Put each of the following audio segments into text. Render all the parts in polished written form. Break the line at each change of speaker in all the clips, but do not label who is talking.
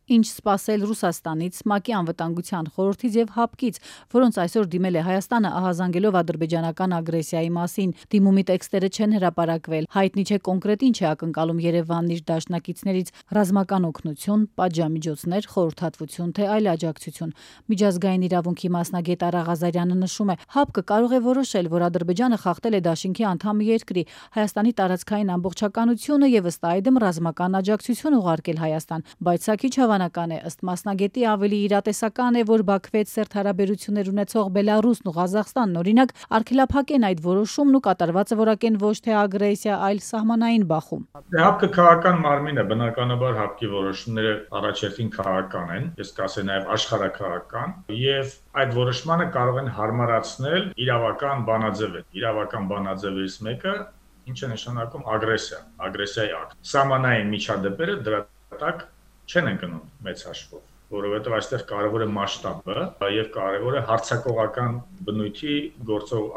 Ինչ սպասել Ռուսաստանից, ՄԱԿ-ի անվտանգության խորհրդից եւ ՀԱՊԿ-ից, որոնց այսօր դիմել է Հայաստանը ահազանգելով ադրբեջանական ագրեսիայի մասին։ Դիմումի տեքստերը չեն հրապարակվել։ Հայտնի չէ կոնկրետ ինչ է ակնկալում Երևանն իր դաշնակիցներից՝ ռազմական օգնություն, պատժամիջոցներ, խորհրդատվություն, թե այլ աջակցություն։ Միջազգային իրավունքի մասնագետ Արա Ղազարյանը նշում է, ՀԱՊԿ-ը կարող է որոշել, որ Ադրբեջանը խախտել է դաշինքի անդամ երկրի, Հայաստանի տարածքային ամբողջականությունը եւ ըստ այդմ ռազմական աջակցություն ուղարկել Հայաստան, բայց սա քիչ հավանական է, ըստ մասնագետի ավելի իրատեսական է, որ Բաքվի հետ սերտ հարաբերություններ ունեցող Բելարուսն ու Ղազախստանն օրինակ արգելափակեն այդ որոշումն ու կատարվածը որակեն ոչ թե ագրեսիա, այլ սահմանային բախում։
ՀԱՊԿ քաղաքական մարմին է, բնականաբար ՀԱՊԿ-ի որոշումները առաջերտին քաղաքական են, ես կասեի նաև աշխարհաքաղաքական, եւ այդ որոշմանը կարող են հարմարացնել իրավական բանաձևեր։ Իրավական բանաձևերից մեկը ինչ է նշանակում ագրեսիայի ակտ։ Սահմանային միջադեպերը դրա տակ չեն ընկնում մեծ հաշվով, որովհետև այստեղ կարևոր է մասշտաբը եւ կարևոր է հարձակողական բնույթի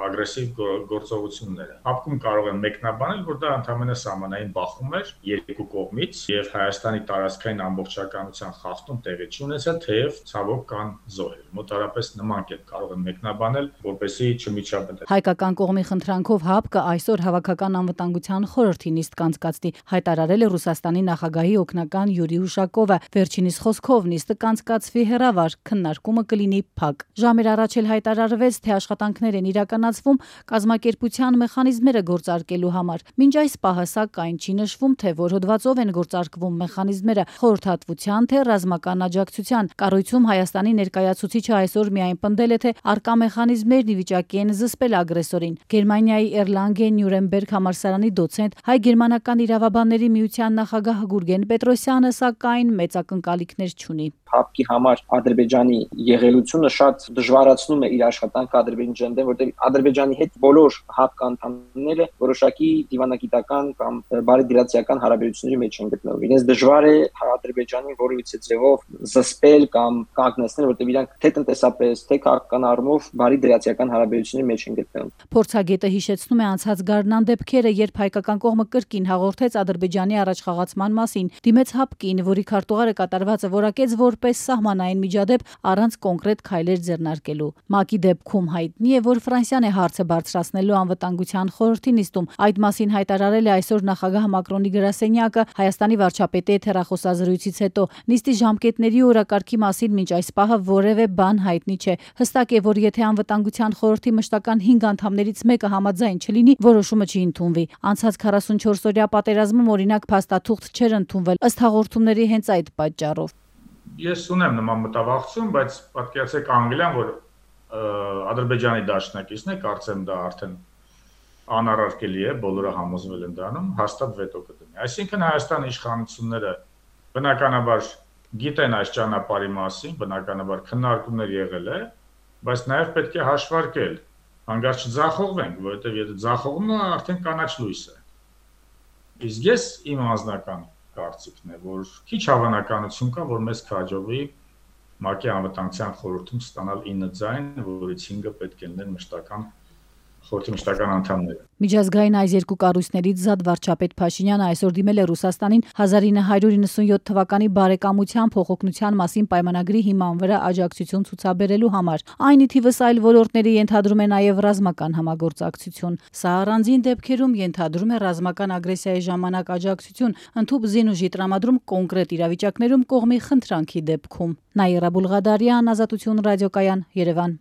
ագրեսիվ գործողությունները։ ՀԱՊԿ-ում կարող են մեկնաբանել, որ դա ընդհանրապես սահմանային բախում էր երկու կողմից եւ Հայաստանի տարածքային ամբողջականության խախտում տեղի չի ունեցել, թեև ցավոք կան զոհեր։ Մոտարապես նման կերպ կարող են մեկնաբանել, որպեսզի չմիջապետել։
Հայկական կողմի խնդրանքով ՀԱՊԿ-ը այսօր Հավաքական անվտանգության խորհրդի նիստ կանցկացնի, հայտարարել է Ռուսաստանի նախագահի օգնական Յուրի Ուշակովը։ Վերջինիս խոսքով նիստը կանցկացվի հեռավար, քննարկումը կլինի փակ։ Ժամեր առաջ էլ հայտարարվեց, թե աշխատանքներ են իրականացվում կազմակերպության մեխանիզմները գործարկելու համար։ Մինչ այս պահը սակայն չի նշվում, թե որ հոդվածով են գործարկվում մեխանիզմները՝ խորհրդատվության, թե ռազմական աջակցության։ Կառույցում Հայաստանի ներկայացուցիչը այսօր միայն պնդել է, թե արկա մեխանիզմներն ի վիճակի են զսպել ագրեսորին։ Գերմանիայի Էրլանգեն Նյուրնբերգ համալսարանի դոցենտ, հայ-գերմանական իրավաբանների միության նախագահ Գուրգեն Պետրոսյանը սակայն մեծ ակնկալիքներ չունի։
ՀԱՊԿ-ի համար Ադրբեջանի եղելությունը շատ դժվարացնում է իր աշխատանքը Ադրբեջանի դեմ, որտեղ Ադրբեջանի հետ բոլոր ՀԱՊԿ անդամները որոշակի դիվանագիտական կամ բարեդրացիական հարաբերությունների մեջ են գտնվում։ Իրենց դժվար է Ադրբեջանին որևիցե ձևով զսպել կամ կանգնեցնել, որտեղ իրանք թե տնտեսապես, թե քաղաքական առումով բարեդրացիական հարաբերությունների մեջ են գտնվում։
Փորձագետը հիշեցնում է անցած գարնան դեպքերը, երբ հայկական կողմը կրկին հաղորդեց Ադրբեջանի առաջխաղացման մասին, դիմեց ՀԱՊԿ-ին, որի քարտուղարը կատարվածը որակեց որպես սահմանային միջադեպ առանց կոնկրետ քայլեր ձեռնարկելու։ ՄԱԿ-ի դեպքում հայտնի է, որ Ֆրանսիան է հարցը բարձրացնելու անվտանգության խորհրդի նիստում։ Այդ մասին հայտարարել է այսօր նախագահ Մակրոնի գրասենյակը Հայաստանի վարչապետի հետ հեռախոսազրույցից հետո։ Նիստի ժամկետների ու օրակարգի մասին մինչ այս պահը որևէ բան հայտնի չէ։ Հստակ է, որ եթե անվտանգության խորհրդի մշտական 5 անդամներից մեկը համաձայն չլինի, որոշումը չի ընդունվի։ Անցած 44-օրյա պատերազմում օրինակ փաստաթուղթ չէր ընդունվել ըստ հաղորդումների հենց այդ պատճառով։
Ես ունեմ նման մտավախություն, բայց պատկերացրեք Անգլիան, որ Ադրբեջանի դաշնակիցն է, կարծեմ դա արդեն անառարկելի է, բոլորը համոզվել են դրանում, հաստատ վետո կդնի։ Այսինքն Հայաստանի իշխանությունները բնականաբար գիտեն այս ճանապարհի մասին, բնականաբար քննարկումներ եղել է, բայց նաև պետք է հաշվարկել, հանգարց չձախողվենք, որովհետև եթե ձախողվում է, արդեն կանաչ լույս է։ Իսկ ես իմ անձնական կարծիքն է, որ քիչ հավանականություն կա, որ մեզ կհաջողվի ՄԱԿ-ի անվտանգության խորհրդում ստանալ 9 ձայն, որից 5-ը պետք է լինեն խորհրդի մշտական անդամները։
Միջազգային այս երկու կառույցներից զատ վարչապետ Փաշինյանը այսօր դիմել է Ռուսաստանին 1997 թվականի բարեկամության փոխօգնության մասին պայմանագրի հիման վրա աջակցություն ցուցաբերելու համար։ Այն ի թիվս այլ ոլորտների ենթադրում է նաև ռազմական համագործակցություն։ Սա առանձին դեպքերում ենթադրում է ռազմական ագրեսիայի ժամանակ աջակցություն, ընդհանուր զինուժի տրամադրում կոնկրետ իրավիճակներում կողմի խնդրանքի դեպքում։ Նաիրա Բուլղադարյան, Ազատություն ռադիոկայան, Երևան։